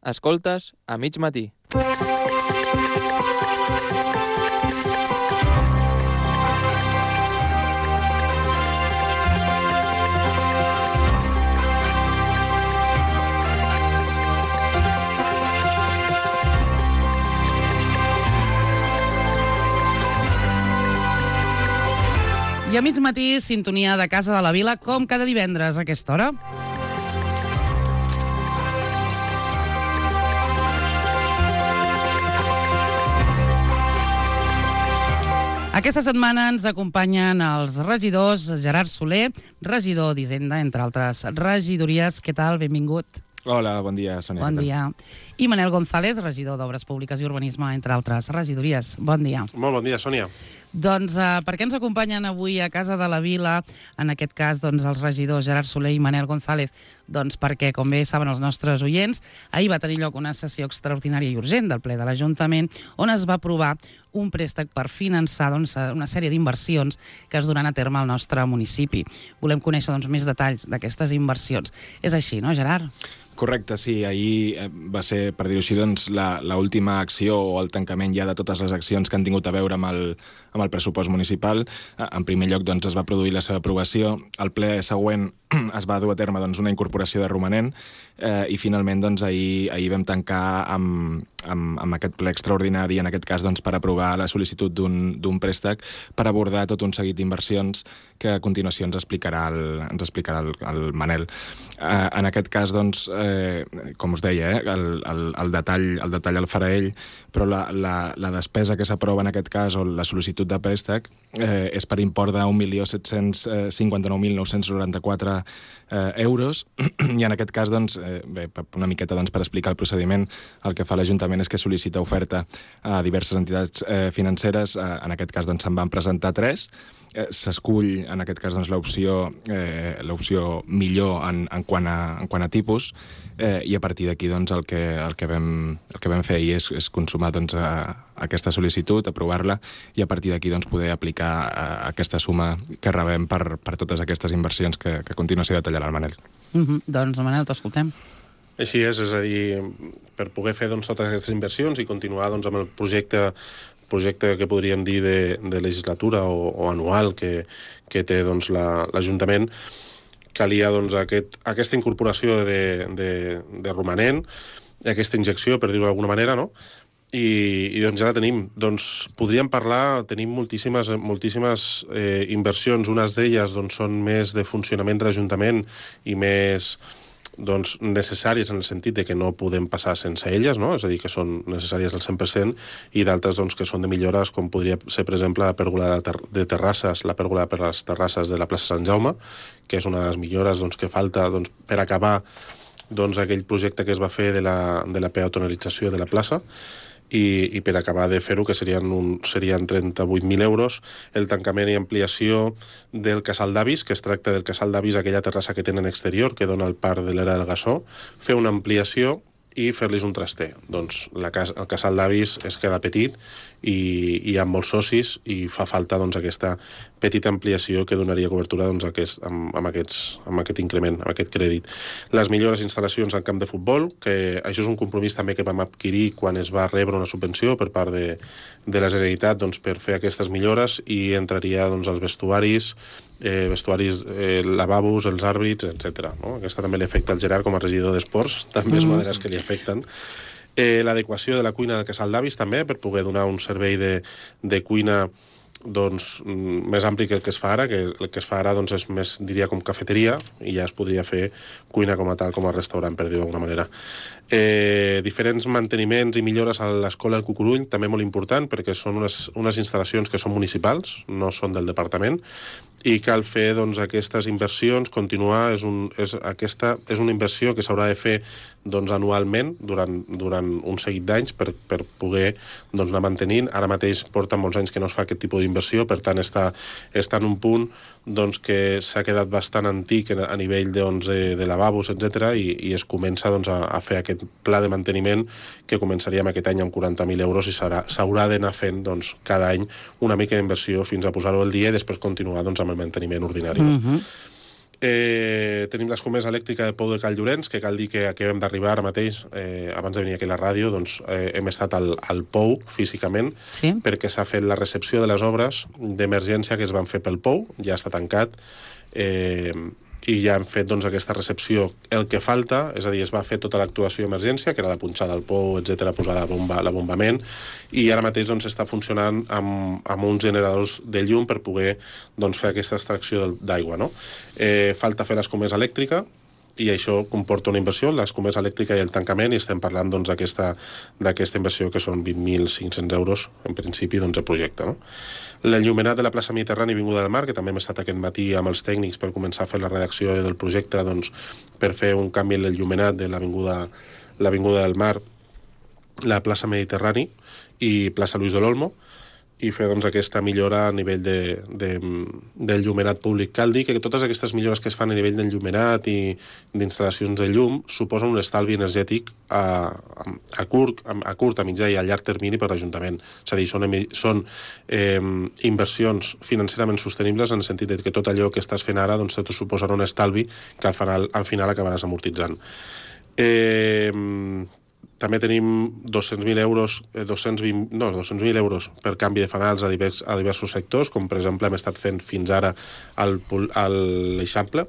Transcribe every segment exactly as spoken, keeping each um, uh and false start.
Escoltes a mig matí. I a mig matí, sintonia de Casa de la Vila, com cada divendres a aquesta hora. Aquesta setmana ens acompanyen els regidors Gerard Soler, regidor d'Hisenda, entre altres regidories. Què tal? Benvingut. Hola, bon dia, Sònia. Bon dia. I Manel González, regidor d'Obres Públiques i Urbanisme, entre altres regidories. Bon dia. Molt bon dia, Sònia. Doncs uh, per què ens acompanyen avui a Casa de la Vila, en aquest cas doncs, els regidors Gerard Soler i Manel González? Doncs perquè, com bé saben els nostres oients, ahir va tenir lloc una sessió extraordinària i urgent del ple de l'Ajuntament on es va aprovar un préstec per finançar doncs, una sèrie d'inversions que es duran a terme al nostre municipi. Volem conèixer doncs, més detalls d'aquestes inversions. És així, no, Gerard? Correcte, sí. Ahir va ser, per dir-ho així, doncs, l'última acció o el tancament ja de totes les accions que han tingut a veure amb el, amb el pressupost municipal. En primer lloc, doncs, es va produir la seva aprovació. Al ple següent es va dur a terme doncs, una incorporació de romanent eh, i finalment doncs, ahir, ahir vam tancar amb, amb, amb aquest ple extraordinari, en aquest cas doncs, per aprovar la sol·licitud d'un préstec per abordar tot un seguit d'inversions que a continuació ens explicarà el, ens explicarà el, el Manel. Eh, en aquest cas, doncs, eh, com us deia, eh, el, el, el, detall, el detall el farà ell, però la, la, la despesa que s'aprova en aquest cas, o la sol·licitud de préstec, eh, és per import d'un milió set-cents cinquanta-nou mil nou-cents noranta-quatre eh, euros, i en aquest cas, doncs, eh, bé, una miqueta doncs, per explicar el procediment, el que fa l'Ajuntament és que sol·licita oferta a diverses entitats eh, financeres. Eh, en aquest cas, doncs, se'n van presentar tres. Eh, s'escull, en aquest cas, doncs, l'opció eh, l'opció millor en, en, quant a, en quant a tipus, eh, i a partir d'aquí doncs, el, que, el, que vam, el que vam fer ahir és, és consumar doncs, a, a aquesta sol·licitud, aprovar-la, i a partir d'aquí doncs, poder aplicar a, a aquesta suma que rebem per, per totes aquestes inversions que, que a continuació detallarà el Manel. Mm -hmm. Doncs, Manel, t'escoltem. Així és, és a dir, per poder fer doncs, totes aquestes inversions i continuar doncs, amb el projecte projecte que podríem dir de, de legislatura o, o anual que, que té doncs, l'Ajuntament, la, calia doncs, aquest, aquesta incorporació de, de, de romanent, aquesta injecció, per dir-ho d'alguna manera, no? I, i doncs ja la tenim. Doncs podríem parlar, tenim moltíssimes, moltíssimes eh, inversions, unes d'elles doncs, són més de funcionament de l'Ajuntament i més doncs, necessàries en el sentit de que no podem passar sense elles, no? És a dir, que són necessàries al cent per cent, i d'altres doncs, que són de millores, com podria ser, per exemple, la pèrgola de terrasses, la pèrgola per les terrasses de la plaça Sant Jaume, que és una de les millores doncs, que falta doncs, per acabar doncs, aquell projecte que es va fer de la, de la peatonalització de la plaça, I, i per acabar de fer-ho, que serien, un, serien trenta-vuit mil euros, el tancament i ampliació del casal d'avis, que es tracta del casal d'avis, aquella terrassa que tenen exterior, que dona al parc de l'Era del Gassó, fer una ampliació i fer-los un traster. Doncs la, el casal d'avis es queda petit i, i hi ha molts socis i fa falta doncs, aquesta petita ampliació que donaria cobertura doncs, aquest, amb, amb, aquests, amb aquest increment, amb aquest crèdit. Les millors instal·lacions al camp de futbol, que això és un compromís també que vam adquirir quan es va rebre una subvenció per part de, de la Generalitat doncs, per fer aquestes millores, i entraria doncs, els vestuaris, eh, vestuaris, eh, lavabos, els àrbits, etcètera. No? Aquesta també li afecta al Gerard com a regidor d'esports, també és una de les que li afecten. Eh, L'adequació de la cuina del casal d'avis també, per poder donar un servei de, de cuina doncs, més ampli que el que es fa ara, que el que es fa ara doncs, és més, diria, com cafeteria, i ja es podria fer cuina com a tal, com a restaurant, per dir-ho d'alguna manera. Eh, diferents manteniments i millores a l'escola del Cucurull, també molt important, perquè són unes, unes instal·lacions que són municipals, no són del departament, i cal fer doncs, aquestes inversions, continuar, és, un, és, aquesta, és una inversió que s'haurà de fer doncs, anualment durant, durant un seguit d'anys per, per poder doncs, anar mantenint. Ara mateix porta molts anys que no es fa aquest tipus d'inversió, per tant està, està en un punt doncs, que s'ha quedat bastant antic a nivell doncs, de, de lavabos, etcètera, i, i es comença doncs, a, a fer aquest pla de manteniment que començaríem aquest any amb quaranta mil euros i s'haurà d'anar fent doncs, cada any una mica d'inversió fins a posar-ho al dia i després continuar doncs, amb el manteniment ordinari. No? Mm-hmm. Eh, tenim l'escomesa elèctrica de Pou de Cal Llorenç, que cal dir que acabem d'arribar ara mateix, eh, abans de venir aquí a la ràdio, doncs eh, hem estat al, al Pou físicament, Sí. perquè s'ha fet la recepció de les obres d'emergència que es van fer pel Pou, ja està tancat, eh, i ja hem fet doncs, aquesta recepció. El que falta, és a dir, es va fer tota l'actuació d'emergència, que era la punxada del pou, etcètera, posar la bomba, l'abombament, i ara mateix doncs, està funcionant amb, amb uns generadors de llum per poder doncs, fer aquesta extracció d'aigua. No? Eh, falta fer l'escomesa elèctrica, i això comporta una inversió, l'escomesa elèctrica i el tancament, i estem parlant doncs, d'aquesta doncs, inversió que són vint mil cinc-cents euros, en principi, doncs, el projecte. No? L'enllumenat de la plaça Mediterrani i Avinguda del Mar, que també hem estat aquest matí amb els tècnics per començar a fer la redacció del projecte doncs, per fer un canvi en l'enllumenat de l'Avinguda del Mar, la plaça Mediterrani i plaça Luis de l'Olmo, i fer doncs, aquesta millora a nivell de, de, del llumenat públic. Cal dir que totes aquestes millores que es fan a nivell del llumenat i d'instal·lacions de llum suposen un estalvi energètic a, a, curt, a curt, a mitjà i a llarg termini per l'Ajuntament. És a dir, són, són eh, inversions financerament sostenibles en el sentit de que tot allò que estàs fent ara doncs, te suposarà un estalvi que al final, al final acabaràs amortitzant. Eh, També tenim dos-cents mil euros, eh, dos-cents vint, no, dos-cents mil euros per canvi de fanals a, divers, a diversos sectors, com per exemple hem estat fent fins ara al, al l'Eixample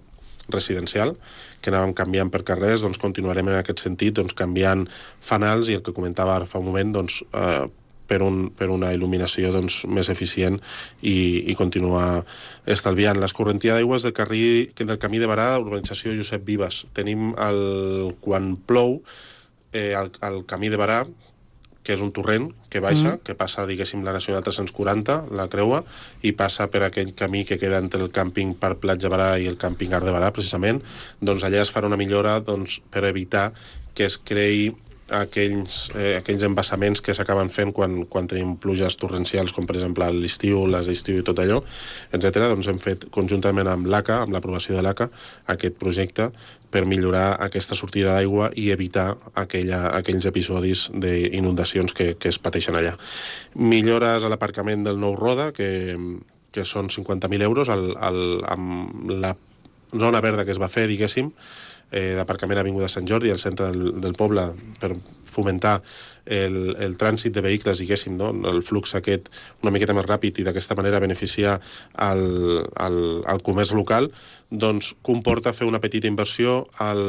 residencial, que anàvem canviant per carrers, doncs continuarem en aquest sentit, doncs canviant fanals i el que comentava ara fa un moment, doncs eh, per, un, per una il·luminació doncs, més eficient i, i continuar estalviant. L'escorrentia d'aigües del, carri, del camí de Barà, urbanització Josep Vives. Tenim el, quan plou, Eh, el, el camí de Barà, que és un torrent que baixa, mm. que passa, diguéssim, la Nacional tres-cents quaranta, la creua, i passa per aquell camí que queda entre el càmping Parc Platja Barà i el càmping Art de Barà, precisament, doncs allà es farà una millora doncs, per evitar que es creï aquells, eh, aquells embassaments que s'acaben fent quan, quan tenim pluges torrencials, com per exemple l'estiu, les d'estiu i tot allò, etcètera. Doncs hem fet conjuntament amb l'A C A, amb l'aprovació de l'A C A, aquest projecte per millorar aquesta sortida d'aigua i evitar aquella, aquells episodis d'inundacions que, que es pateixen allà. Millores a l'aparcament del Nou Roda, que, que són cinquanta mil euros, al, al, amb la zona verda que es va fer, diguéssim, eh, d'aparcament a Avinguda Sant Jordi, al centre del, del poble, per fomentar el, el trànsit de vehicles, diguéssim, no? El flux aquest una miqueta més ràpid i d'aquesta manera beneficiar el, el, el comerç local, doncs comporta fer una petita inversió al,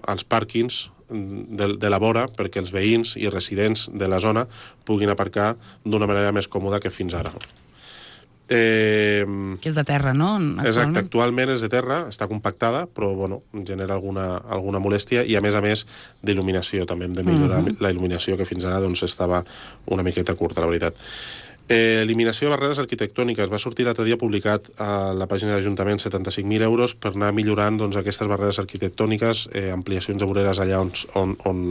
als pàrquings de, de la vora perquè els veïns i residents de la zona puguin aparcar d'una manera més còmoda que fins ara. Eh, que és de terra, no? Actualment? Exacte, actualment és de terra, està compactada, però bueno, genera alguna, alguna molèstia i a més a més d'il·luminació, també hem de millorar uh-huh. la il·luminació que fins ara doncs, estava una miqueta curta, la veritat. Eh, eliminació de barreres arquitectòniques. Va sortir l'altre dia publicat a la pàgina de l'Ajuntament setanta-cinc mil euros per anar millorant doncs, aquestes barreres arquitectòniques, eh, ampliacions de voreres allà on, on, on,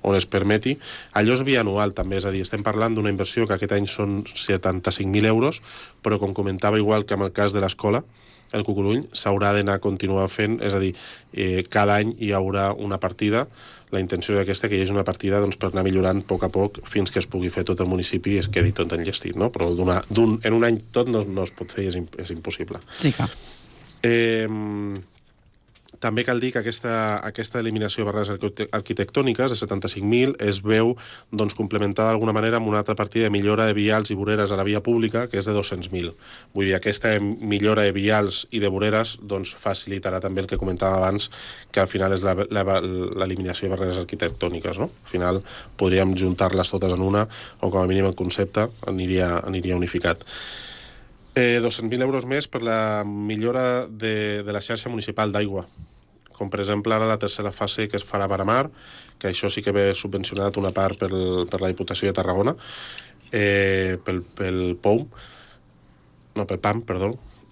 on es permeti. Allò és bianual també, és a dir, estem parlant d'una inversió que aquest any són setanta-cinc mil euros, però com comentava igual que en el cas de l'escola, el Cucurull s'haurà d'anar a continuar fent, és a dir, eh, cada any hi haurà una partida. La intenció d'aquesta que hi hagi una partida doncs, per anar millorant a poc a poc fins que es pugui fer tot el municipi i es quedi tot enllestit, no? Però d'un, en un any tot no, no es pot fer i és, és impossible. Sí, clar. Eh, també cal dir que aquesta, aquesta eliminació de barreres arquitectòniques de setanta-cinc mil es veu doncs, complementada d'alguna manera amb una altra partida de millora de vials i voreres a la via pública, que és de dos-cents mil. Vull dir, aquesta millora de vials i de voreres doncs, facilitarà també el que comentava abans, que al final és l'eliminació de barreres arquitectòniques. No? Al final podríem juntar-les totes en una, o com a mínim el concepte aniria, aniria unificat. Eh, dos-cents mil euros més per la millora de, de la xarxa municipal d'aigua, com per exemple ara la tercera fase que es farà a Paramar, que això sí que ve subvencionat una part per, per la Diputació de Tarragona, eh, pel, pel P O M, no, pel P A M, perdó,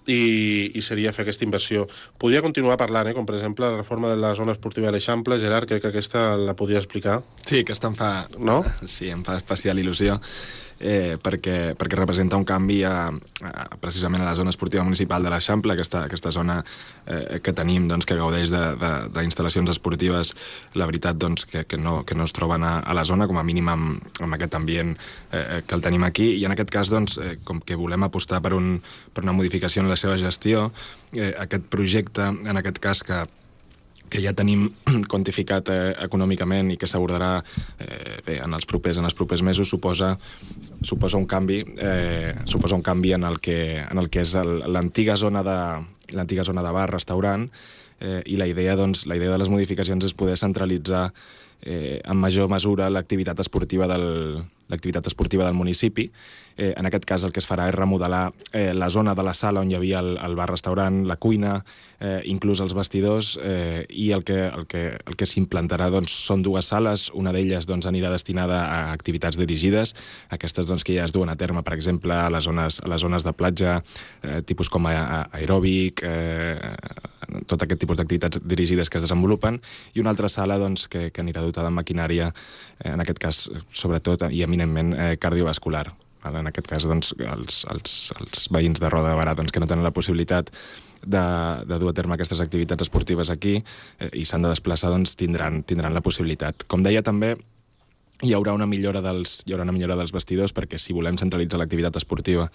i, i seria fer aquesta inversió. Podria continuar parlant, eh, com per exemple la reforma de la zona esportiva de l'Eixample. Gerard, crec que aquesta la podria explicar. Sí, aquesta em fa... No? Sí, em fa especial il·lusió. eh, perquè, perquè representa un canvi a, a, precisament a la zona esportiva municipal de l'Eixample, aquesta, aquesta zona eh, que tenim, doncs, que gaudeix d'instal·lacions esportives, la veritat doncs, que, que, no, que no es troben a, a la zona, com a mínim amb, amb aquest ambient eh, que el tenim aquí, i en aquest cas, doncs, eh, com que volem apostar per, un, per una modificació en la seva gestió, eh, aquest projecte, en aquest cas, que que ja tenim quantificat eh, econòmicament i que s'abordarà eh, bé, en els propers en els propers mesos, suposa suposa un canvi eh, suposa un canvi en el que en el que és l'antiga zona de l'antiga zona de bar, restaurant, eh, i la idea doncs la idea de les modificacions és poder centralitzar eh, en major mesura l'activitat esportiva del l'activitat esportiva del municipi. Eh, en aquest cas el que es farà és remodelar eh, la zona de la sala on hi havia el, el bar-restaurant, la cuina, eh, inclús els vestidors, eh, i el que, el que, el que s'implantarà doncs, són dues sales, una d'elles doncs, anirà destinada a activitats dirigides, aquestes doncs, que ja es duen a terme, per exemple, a les zones, a les zones de platja, eh, tipus com a, a aeròbic, eh, tot aquest tipus d'activitats dirigides que es desenvolupen, i una altra sala doncs, que, que anirà dotada amb maquinària, eh, en aquest cas, sobretot, i eminentment eh, cardiovascular. En aquest cas, doncs, els, els, els veïns de Roda de Barà doncs, que no tenen la possibilitat de, de dur a terme aquestes activitats esportives aquí eh, i s'han de desplaçar, doncs, tindran, tindran la possibilitat. Com deia també, hi haurà una millora dels, hi haurà una millora dels vestidors, perquè si volem centralitzar l'activitat esportiva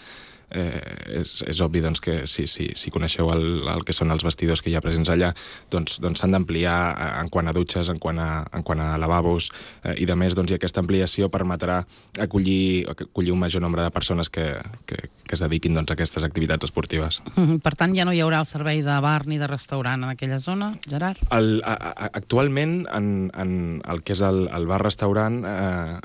eh, és, és obvi doncs, que si, si, si coneixeu el, el que són els vestidors que hi ha presents allà, doncs s'han doncs, d'ampliar en quant a dutxes, en quant a, en quant a lavabos eh, i de més, doncs, i aquesta ampliació permetrà acollir, acollir un major nombre de persones que, que, que es dediquin doncs, a aquestes activitats esportives. Mm-hmm. Per tant, ja no hi haurà el servei de bar ni de restaurant en aquella zona, Gerard? El, a, a, actualment, en, en el que és el, el bar-restaurant eh,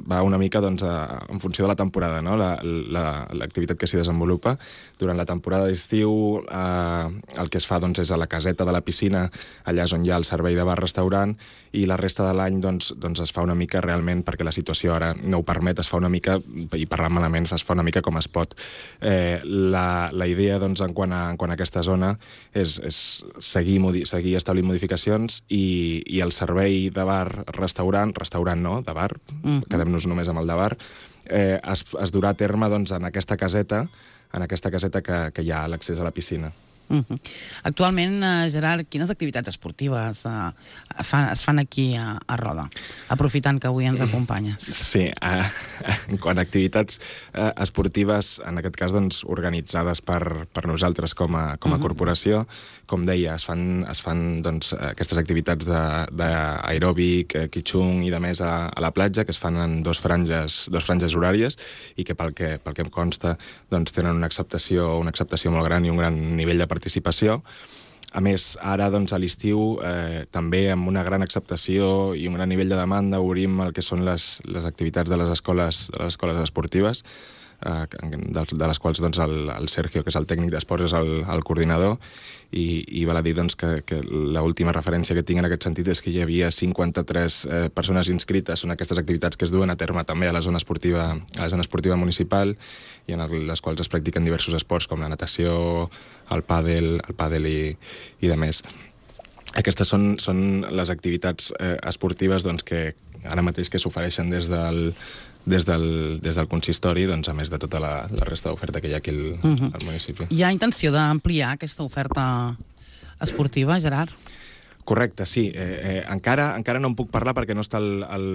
va una mica doncs, a, en funció de la temporada, no? L'activitat que s'hi desenvolupa. Durant la temporada d'estiu eh, el que es fa doncs, és a la caseta de la piscina, allà és on hi ha el servei de bar-restaurant, i la resta de l'any doncs, doncs es fa una mica realment, perquè la situació ara no ho permet, es fa una mica, i parlant malament, es fa una mica com es pot. Eh, la, la idea doncs, en, quant a, en quant a aquesta zona és, és seguir, modi, seguir establint modificacions i, i el servei de bar-restaurant, restaurant no, de bar, mm-hmm. quedem-nos només amb el de bar, eh, es, es durà a terme doncs, en aquesta caseta, en aquesta caseta que, que hi ha l'accés a la piscina. Uh-huh. Actualment, uh, Gerard, quines activitats esportives uh, fan, es fan aquí a, a Roda, aprofitant que avui ens acompanyes? Sí, uh, en quant a activitats uh, esportives, en aquest cas doncs, organitzades per, per nosaltres com a, com a uh-huh. corporació, com deia, es fan, es fan doncs, aquestes activitats d'aeròbic, quitxung i de més a, a la platja, que es fan en dos franges, dos franges horàries i que pel que, pel que em consta doncs, tenen una acceptació, una acceptació molt gran i un gran nivell de participació. A més, ara doncs, a l'estiu eh, també amb una gran acceptació i un gran nivell de demanda obrim el que són les, les activitats de les escoles, de les escoles esportives, eh, de, de les quals doncs, el, el Sergio, que és el tècnic d'esports, és el, el coordinador, i, i val a dir doncs, que, que l'última referència que tinc en aquest sentit és que hi havia cinquanta-tres eh, persones inscrites en aquestes activitats que es duen a terme també a la zona esportiva, a la zona esportiva municipal, i en les quals es practiquen diversos esports com la natació, el pàdel, el pàdel i, i de més. Aquestes són, són les activitats eh, esportives doncs, que ara mateix que s'ofereixen des del des del, des del consistori, doncs, a més de tota la, la resta d'oferta que hi ha aquí al, uh-huh. al municipi. Hi ha intenció d'ampliar aquesta oferta esportiva, Gerard? Correcte, sí. Eh, eh, encara, encara no en puc parlar perquè no està el, el,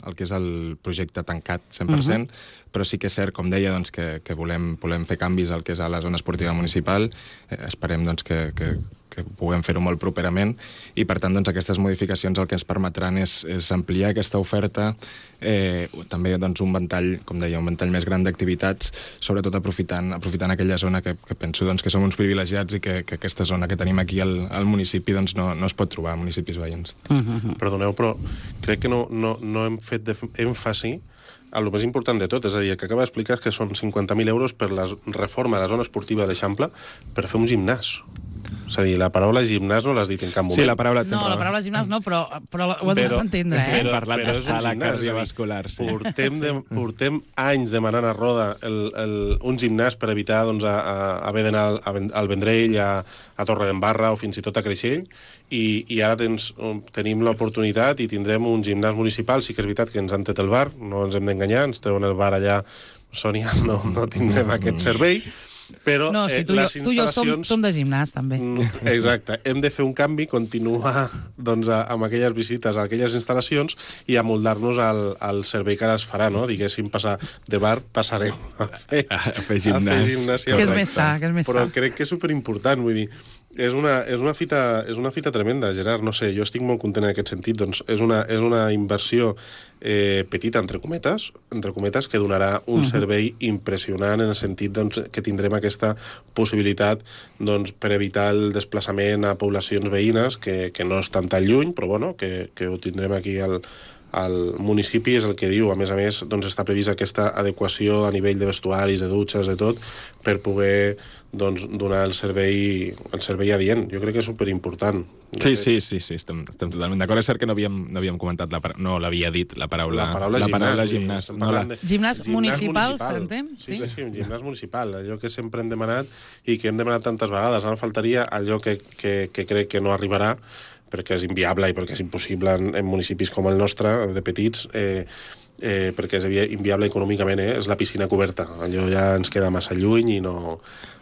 el que és el projecte tancat cent per cent, uh-huh. però sí que és cert, com deia, doncs, que, que volem, volem fer canvis al que és a la zona esportiva municipal. Eh, esperem doncs, que, que, que puguem fer-ho molt properament i, per tant, doncs, aquestes modificacions el que ens permetran és, és ampliar aquesta oferta, eh, també doncs, un ventall, com deia, un ventall més gran d'activitats, sobretot aprofitant, aprofitant aquella zona que, que penso doncs, que som uns privilegiats i que, que aquesta zona que tenim aquí al, al municipi doncs, no, no es pot trobar a municipis veïns. Uh-huh. Perdoneu, però crec que no, no, no hem fet èmfasi a lo més important de tot, és a dir, el que acaba d'explicar és que són cinquanta mil euros per la reforma de la zona esportiva d'Eixample per fer un gimnàs. És a dir, la paraula gimnàs no l'has dit en cap moment. Sí, la paraula... No, la paraula gimnàs no, però, però ho has Però- donat a entendre, eh? Hem parlat però de és un sala gimnàs, cardiovascular, sí. Portem, de, portem anys demanant a Roda el, el, un gimnàs per evitar doncs, a, a, haver d'anar al, al Vendrell, a, a Torredembarra o fins i tot a Creixell, i, i ara tens, tenim l'oportunitat i tindrem un gimnàs municipal. Sí que és veritat que ens han tret el bar, no ens hem d'enganyar, ens treuen el bar allà, Sònia, no, no tindrem aquest servei, però No, si eh, tu, i jo, les tu i jo som, instal·lacions... som de gimnàs, també. Mm, Exacte. Hem de fer un canvi, continuar doncs, a, amb aquelles visites a aquelles instal·lacions i amoldar-nos al, al servei que ara es farà, no? Diguéssim, passar de bar, passarem a fer, A fer gimnàs. A fer gimnàsia. Que és més sa, que és més Però sa. crec que és superimportant, vull dir, és una, és una, fita, és una fita tremenda, Gerard, no sé, jo estic molt content en aquest sentit, doncs és una, és una inversió eh, petita, entre cometes, entre cometes, que donarà un uh -huh. servei impressionant en el sentit doncs, que tindrem aquesta possibilitat doncs, per evitar el desplaçament a poblacions veïnes, que, que no estan tan lluny, però bueno, que, que ho tindrem aquí al, al municipi, és el que diu. A més a més, doncs, està prevista aquesta adequació a nivell de vestuaris, de dutxes, de tot, per poder doncs, donar el servei, el servei adient. Jo crec que és superimportant. Sí, sí, sí, sí, estem, estem totalment d'acord. És cert que no havíem, no havíem comentat, la, para- no l'havia dit la paraula, La paraula la gimnàs. paraula vull dir, gimnàs. estem No la, parlant de- Gimnàs municipal, s'entén? Sí, Sí. sí, sí, un gimnàs municipal, allò que sempre hem demanat i que hem demanat tantes vegades. Ara faltaria allò que, que, que crec que no arribarà, perquè és inviable i perquè és impossible en, en municipis com el nostre, de petits, eh, eh, perquè és invi- inviable econòmicament, eh? És la piscina coberta. Allò ja ens queda massa lluny i no,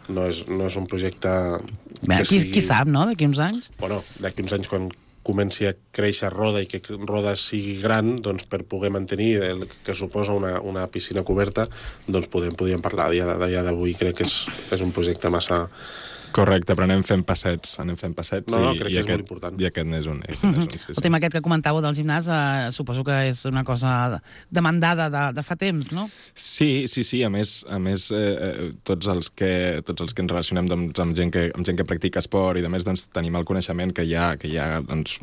no, és, no és un projecte Bé, que qui, sigui... qui sap, no?, d'aquí uns anys. Bueno, d'aquí uns anys, quan comenci a créixer Roda i que Roda sigui gran, doncs per poder mantenir el que suposa una, una piscina coberta, doncs podem, podríem parlar. A dia d'avui crec que és, és un projecte massa... correcte, però anem fent passets, anem fent passets. No, no, i, crec i que és aquest, molt important. I aquest n'és un. Aquest n'és un sí, El sí. tema aquest que comentàveu del gimnàs, eh, suposo que és una cosa demandada de, de fa temps, no? Sí, sí, sí. A més, a més eh, eh, tots, els que, tots els que ens relacionem doncs, amb, gent que, amb gent que practica esport i, a més, doncs, tenim el coneixement que hi ha, que hi ha doncs,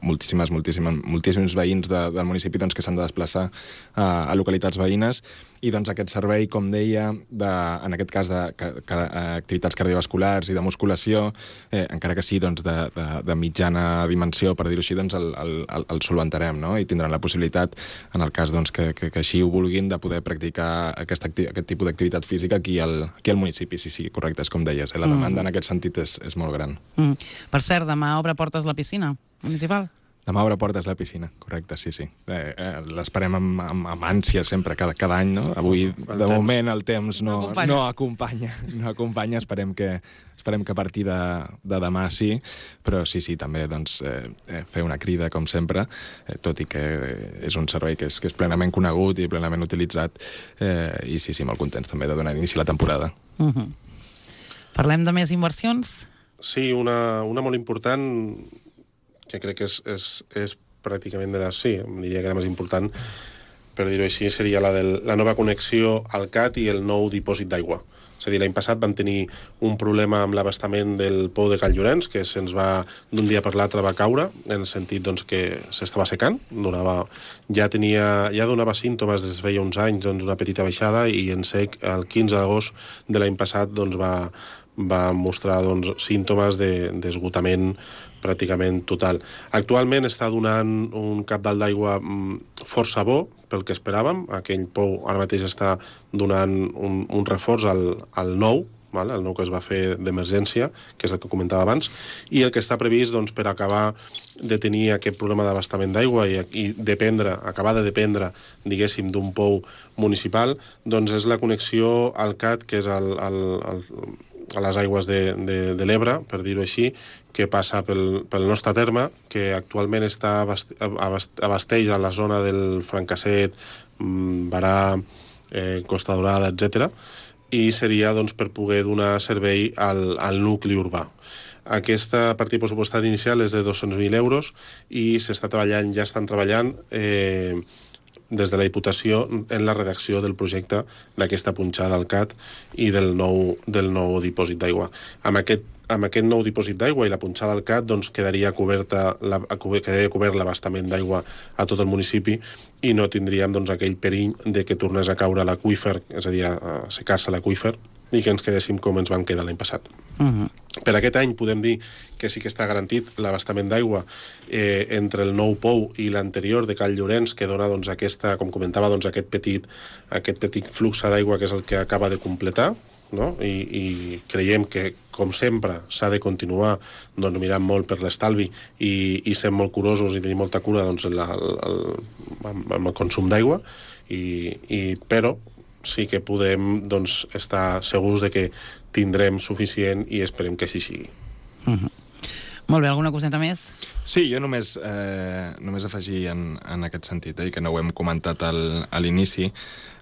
moltíssimes, moltíssimes, moltíssims veïns de, del municipi doncs, que s'han de desplaçar a, a localitats veïnes, i doncs, aquest servei, com deia, de, en aquest cas d'activitats cardiovasculars i de musculació, eh, encara que sí doncs, de, de, de mitjana dimensió, per dir-ho així, doncs, el, el, el, el solventarem, no? I tindran la possibilitat, en el cas doncs, que, que, que així ho vulguin, de poder practicar aquesta, aquest tipus d'activitat física aquí al, aquí al municipi. Sí, sí, correcte, és com deies. Eh? La demanda mm. en aquest sentit és, és molt gran. Mm. Per cert, demà obre portes la piscina municipal? Demà obre portes la piscina, correcte, sí, sí. Eh, eh, L'esperem amb, amb, amb ànsia sempre, cada, cada any, no? Avui, El de temps. moment, el temps no, No acompanya. no acompanya. No acompanya, esperem que, esperem que a partir de, de demà sí, però sí, sí, també doncs, eh, eh, fer una crida, com sempre, eh, tot i que és un servei que és, que és plenament conegut i plenament utilitzat, eh, i sí, sí, molt contents també de donar inici a la temporada. Uh -huh. Parlem de més inversions? Sí, una, una molt important, que crec que és, és, és pràcticament de les... Sí, em diria que la més important, per dir-ho així, seria la de la nova connexió al C A T i el nou dipòsit d'aigua. És a dir, l'any passat vam tenir un problema amb l'abastament del pou de Cal Llorenç, que se'ns va, d'un dia per l'altre, va caure, en el sentit doncs, que s'estava secant, donava, ja, tenia, ja donava símptomes des de feia uns anys, doncs, una petita baixada, i en sec, el quinze d'agost de l'any passat, doncs, va, va mostrar doncs, símptomes d'esgotament de, pràcticament total. Actualment està donant un cabdal d'aigua força bo, pel que esperàvem. Aquell pou ara mateix està donant un, un reforç al, al nou, vale? El nou que es va fer d'emergència, que és el que comentava abans, i el que està previst doncs, per acabar de tenir aquest problema d'abastament d'aigua i, i dependre, acabar de dependre, diguéssim, d'un pou municipal, doncs és la connexió al C A T, que és el, el, el a les aigües de, de, de l'Ebre, per dir-ho així, que passa pel, pel nostre terme, que actualment està abast, abast, abasteix a la zona del Francasset, Barà, eh, Costa Dorada, etcètera, i seria doncs, per poder donar servei al, al nucli urbà. Aquesta partida pressupostària inicial és de dos-cents mil euros i s'està treballant, ja estan treballant eh, des de la Diputació en la redacció del projecte d'aquesta punxada al C A T i del nou, del nou dipòsit d'aigua. Amb aquest, amb aquest nou dipòsit d'aigua i la punxada al C A T doncs, quedaria, coberta la, quedaria cobert l'abastament d'aigua a tot el municipi i no tindríem doncs, aquell perill de que tornés a caure l'aqüífer, és a dir, a secar-se l'aqüífer, i que ens quedéssim com ens vam quedar l'any passat. Uh -huh. Per aquest any podem dir que sí que està garantit l'abastament d'aigua eh, entre el nou pou i l'anterior de Cal Llorenç, que dona doncs, aquesta, com comentava, doncs, aquest, petit, aquest petit flux d'aigua que és el que acaba de completar, no? I, i creiem que, com sempre, s'ha de continuar doncs, mirant molt per l'estalvi i, i sent molt curosos i tenir molta cura doncs, la, el, amb, amb el consum d'aigua, i, i, però sí que podem doncs, estar segurs de que tindrem suficient i esperem que així sigui. Uh-huh. Molt bé, alguna coseta més? Sí, jo només, eh, només afegir en, en aquest sentit, eh, que no ho hem comentat al, a l'inici.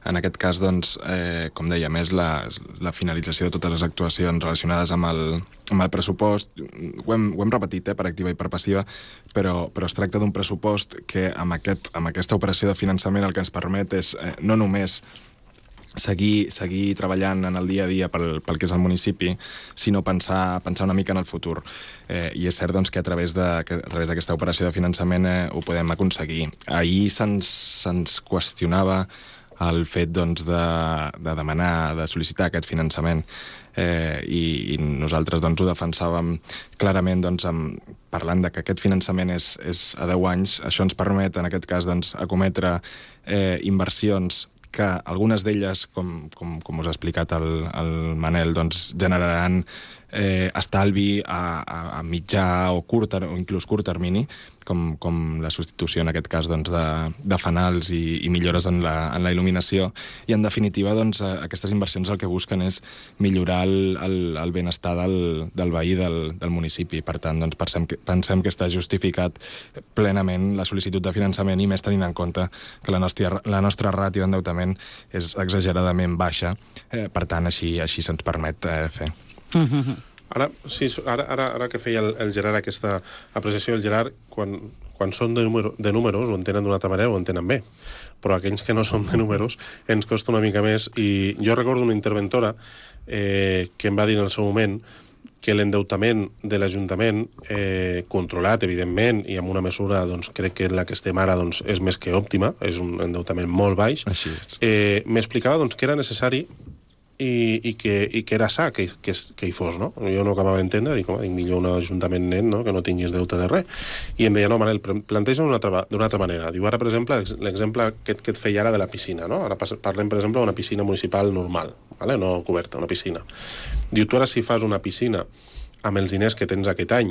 En aquest cas, doncs, eh, com dèiem, és la, la finalització de totes les actuacions relacionades amb el, amb el pressupost. Ho hem, ho hem repetit, eh, per activa i per passiva, però, però es tracta d'un pressupost que amb, aquest, amb aquesta operació de finançament el que ens permet és eh, no només seguir, seguir treballant en el dia a dia pel, pel que és el municipi, sinó pensar, pensar una mica en el futur. Eh, I és cert doncs, que a través de, que a través d'aquesta operació de finançament eh, ho podem aconseguir. Ahir se'ns se'ns qüestionava el fet doncs, de, de demanar, de sol·licitar aquest finançament. Eh, i, i nosaltres doncs, ho defensàvem clarament doncs, amb, parlant de que aquest finançament és, és a deu anys. Això ens permet, en aquest cas, doncs, acometre eh, inversions que algunes d'elles, com, com, com us ha explicat el, el Manel, doncs, generaran eh, estalvi a, a, a mitjà o curt o inclús curt termini, com, com la substitució en aquest cas doncs, de, de fanals i, i millores en la, en la il·luminació. I en definitiva doncs, aquestes inversions el que busquen és millorar el, el, el benestar del, del veí del, del municipi. Per tant, doncs, pensem, que, pensem que està justificat plenament la sol·licitud de finançament i més tenint en compte que la nostra, la nostra ràtio d'endeutament és exageradament baixa. Eh, per tant, així, així se'ns permet eh, fer. Ara, sí, ara, ara, ara que feia el, el Gerard aquesta apreciació, el Gerard, quan, quan són de, número, de números, ho entenen d'una altra manera, ho entenen bé. Però aquells que no som de números ens costa una mica més. I jo recordo una interventora eh, que em va dir en el seu moment que l'endeutament de l'Ajuntament, eh, controlat, evidentment, i amb una mesura, doncs, crec que en la que estem ara doncs, és més que òptima, és un endeutament molt baix, eh, m'explicava doncs, que era necessari i, i, que, i que era sa que, que, que hi fos, no? Jo no acabava d'entendre, dic, home, dic, millor un ajuntament net, no?, que no tinguis deute de res. I em deia, no, Manel, planteja d'una altra, altra manera. Diu, ara, per exemple, l'exemple que, que et feia ara de la piscina, no? Ara parlem, per exemple, d'una piscina municipal normal, ¿vale? No coberta, una piscina. Diu, tu ara si fas una piscina amb els diners que tens aquest any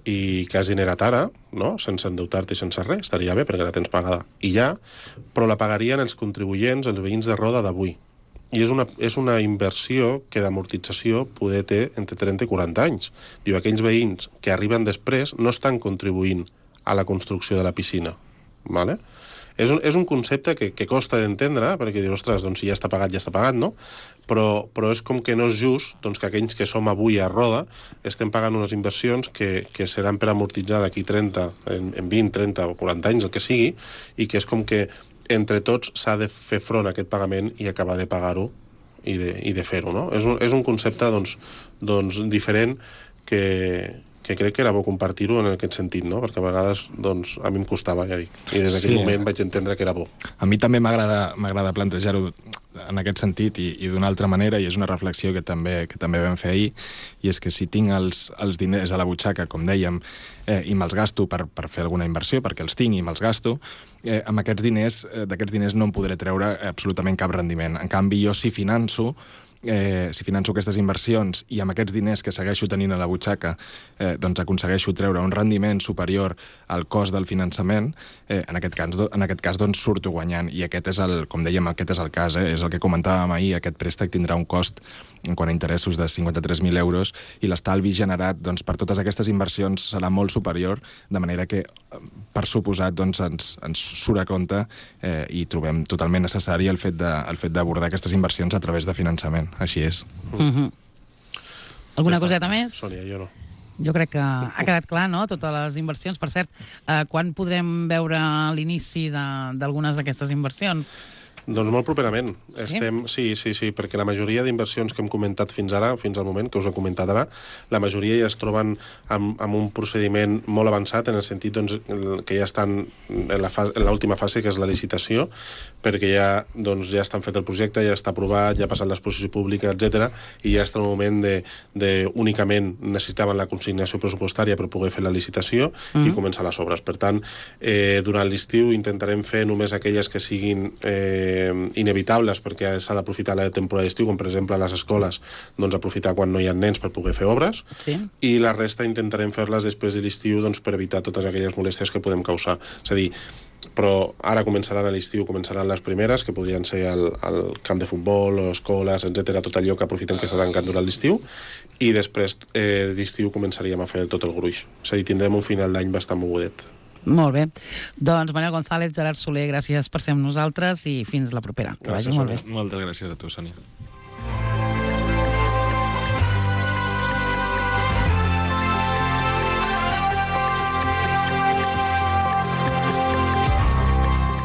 i que has generat ara, no?, sense endeutar-te i sense res, estaria bé perquè la tens pagada. I ja, però la pagarien els contribuents, els veïns de Roda d'avui. I és una, és una inversió que d'amortització poder té entre trenta i quaranta anys. Diu, aquells veïns que arriben després no estan contribuint a la construcció de la piscina. ¿Vale? És un, és un concepte que, que costa d'entendre, perquè dius, ostres, doncs si ja està pagat, ja està pagat, no? Però, però és com que no és just doncs, que aquells que som avui a Roda estem pagant unes inversions que, que seran per amortitzar d'aquí trenta, en, en vint, trenta o quaranta anys, el que sigui, i que és com que entre tots s'ha de fer front a aquest pagament i acabar de pagar-ho i de, i de fer-ho, no? És un, és un concepte doncs, doncs, diferent que, que crec que era bo compartir-ho en aquest sentit, no? Perquè a vegades doncs, a mi em costava, ja dic, i des d'aquell sí. moment vaig entendre que era bo. A mi també m'agrada plantejar-ho en aquest sentit i, i d'una altra manera, i és una reflexió que també, que també vam fer ahir, i és que si tinc els, els diners a la butxaca, com dèiem, eh, i me'ls gasto per, per fer alguna inversió, perquè els tinc i me'ls gasto, eh, amb aquests diners, eh, d'aquests diners no em podré treure absolutament cap rendiment. En canvi, jo si finanço, Eh, si finanço aquestes inversions i amb aquests diners que segueixo tenint a la butxaca eh, doncs aconsegueixo treure un rendiment superior al cost del finançament, eh, en aquest cas, en aquest cas doncs surto guanyant, i aquest és el, com dèiem, aquest és el cas, eh, és el que comentàvem ahir, aquest préstec tindrà un cost en quant a interessos de cinquanta-tres mil euros i l'estalvi generat doncs, per totes aquestes inversions serà molt superior, de manera que per suposat doncs, ens, ens surt a compte eh, i trobem totalment necessari el fet de, el fet d'abordar aquestes inversions a través de finançament. Així és. Mm-hmm. Alguna ja coseta més? Sònia, jo no. Jo crec que ha quedat clar, no?, totes les inversions. Per cert, eh, quan podrem veure l'inici d'algunes d'aquestes inversions? Doncs molt properament. Sí? Estem, sí, sí, sí, perquè la majoria d'inversions que hem comentat fins ara, fins al moment, que us he comentat ara, la majoria ja es troben amb, amb un procediment molt avançat, en el sentit doncs, que ja estan en la fase, en l'última fase, que és la licitació, perquè ja, doncs, ja estan fet el projecte, ja està aprovat, ja ha passat l'exposició pública, etcètera, i ja està el moment de, de únicament necessitaven la consignació pressupostària per poder fer la licitació mm. i començar les obres. Per tant, eh, durant l'estiu intentarem fer només aquelles que siguin eh, inevitables, perquè s'ha d'aprofitar la temporada d'estiu, com per exemple a les escoles, doncs aprofitar quan no hi ha nens per poder fer obres, sí. i la resta intentarem fer-les després de l'estiu, doncs, per evitar totes aquelles molèsties que podem causar. És a dir, però ara començaran a l'estiu, començaran les primeres, que podrien ser el, el camp de futbol, escoles, etcètera, tot allò que aprofitem que s'ha tancat durant l'estiu, i després eh, d'estiu començaríem a fer tot el gruix. És a dir, tindrem un final d'any bastant mogudet. Molt bé. Doncs Manel González, Gerard Soler, gràcies per ser amb nosaltres i fins la propera. Que Gràcies, vagi molt bé. Moltes gràcies a tu, Sònia.